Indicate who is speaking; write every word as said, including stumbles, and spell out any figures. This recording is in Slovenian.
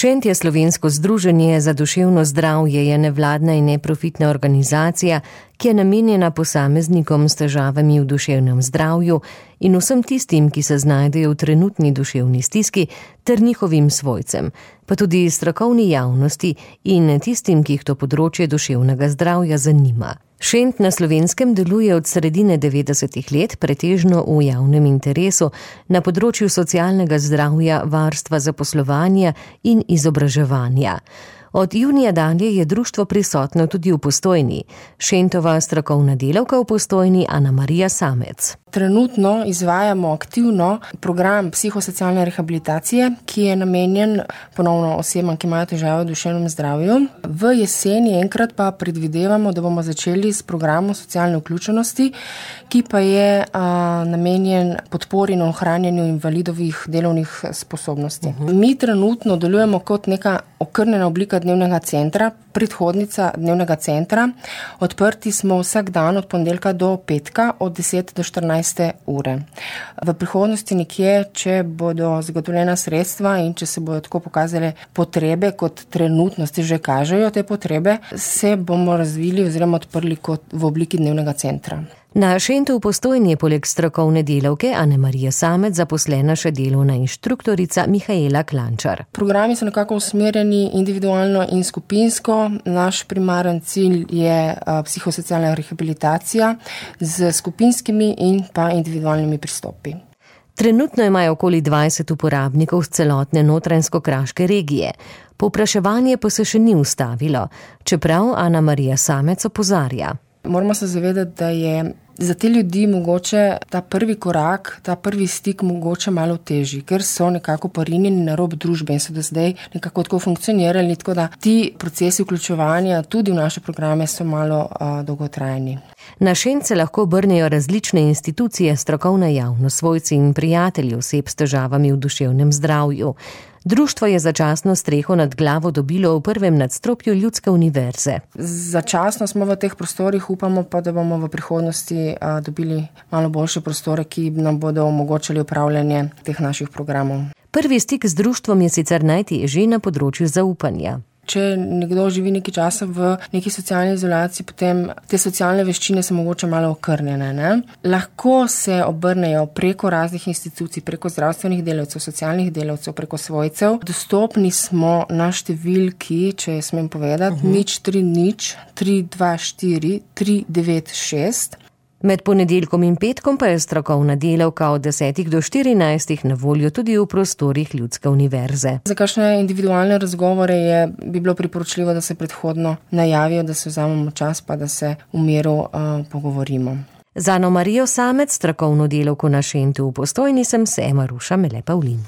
Speaker 1: Šent je slovensko združenje za duševno zdravje, je nevladna in neprofitna organizacija, ki je namenjena posameznikom s težavami v duševnem zdravju in vsem tistim, ki se znajdejo v trenutni duševni stiski, ter njihovim svojcem, pa tudi strokovni javnosti in tistim, ki jih to področje duševnega zdravja zanima. Šent na Slovenskem deluje od sredine devetdesetih let, pretežno v javnem interesu, na področju socialnega zdravja, varstva zaposlovanja in izobraževanja. Od junija dalje je društvo prisotno tudi v Postojni. Šentova strokovna delavka v Postojni Ana Marija Samec.
Speaker 2: Trenutno izvajamo aktivno program psihosocialne rehabilitacije, ki je namenjen ponovno osebam, ki imajo težave v duševnem zdravju. V jeseni enkrat pa predvidevamo, da bomo začeli s programom socialne vključenosti, ki pa je a, namenjen podpori in ohranjanju invalidovih delovnih sposobnosti. Uh-huh. Mi trenutno delujemo kot neka okrnjena oblika dnevnega centra, predhodnica dnevnega centra. Odprti smo vsak dan od ponedeljka do petka od deset do štirinajste ure. V prihodnosti nekje, če bodo zagotovljena sredstva in če se bodo tako pokazale potrebe, kot trenutno se že kažejo te potrebe, se bomo razvili oziroma odprli kot v obliki dnevnega centra.
Speaker 1: Na Šentu v Postojni je poleg strokovne delavke Ane Marije Samec zaposlena še delovna inštruktorica Mihaela Klančar.
Speaker 2: Programi so nekako usmerjeni individualno in skupinsko. Naš primaren cilj je psihosocialna rehabilitacija z skupinskimi in pa individualnimi pristopi.
Speaker 1: Trenutno imajo okoli dvajset uporabnikov z celotne notranjsko-kraške regije. Povpraševanje pa se še ni ustavilo, čeprav Ana Marija Samec opozarja.
Speaker 2: Moramo se zavedati, da je za te ljudi mogoče ta prvi korak, ta prvi stik mogoče malo težji, ker so nekako porinjeni na rob družbe in so do zdaj nekako tako funkcionirali, tako da ti procesi vključevanja tudi v naše programe so malo uh, dolgotrajni.
Speaker 1: Na Šent se lahko obrnejo različne institucije, strokovna javnost, svojci in prijatelji oseb s težavami v duševnem zdravju. Društvo je začasno streho nad glavo dobilo v prvem nadstropju Ljudske univerze.
Speaker 2: Začasno smo v teh prostorih, upamo pa, da bomo v prihodnosti a, dobili malo boljše prostore, ki nam bodo omogočali upravljanje teh naših programov.
Speaker 1: Prvi stik z društvom je sicer najtežji na področju zaupanja.
Speaker 2: Če nekdo živi nekaj časa v neki socialni izolaciji, potem te socialne veščine so mogoče malo okrnjene. Ne? Lahko se obrnejo preko raznih institucij, preko zdravstvenih delavcev, socialnih delavcev, preko svojcev. Dostopni smo na številki, če smem povedati, uh-huh. nič tri nič tri dva štiri tri devet šest.
Speaker 1: Med ponedeljkom in petkom pa je strokovna delavka od desetih do štirinajstih na voljo tudi v prostorih Ljudske univerze.
Speaker 2: Za kakšne individualne razgovore je, bi bilo priporočljivo, da se predhodno najavijo, da se vzamemo čas, pa da se v miru uh, pogovorimo.
Speaker 1: Za Ano Marijo Samec, strokovno delavko na Šentu v Postojni, sem se Maruša Mele Pavlin.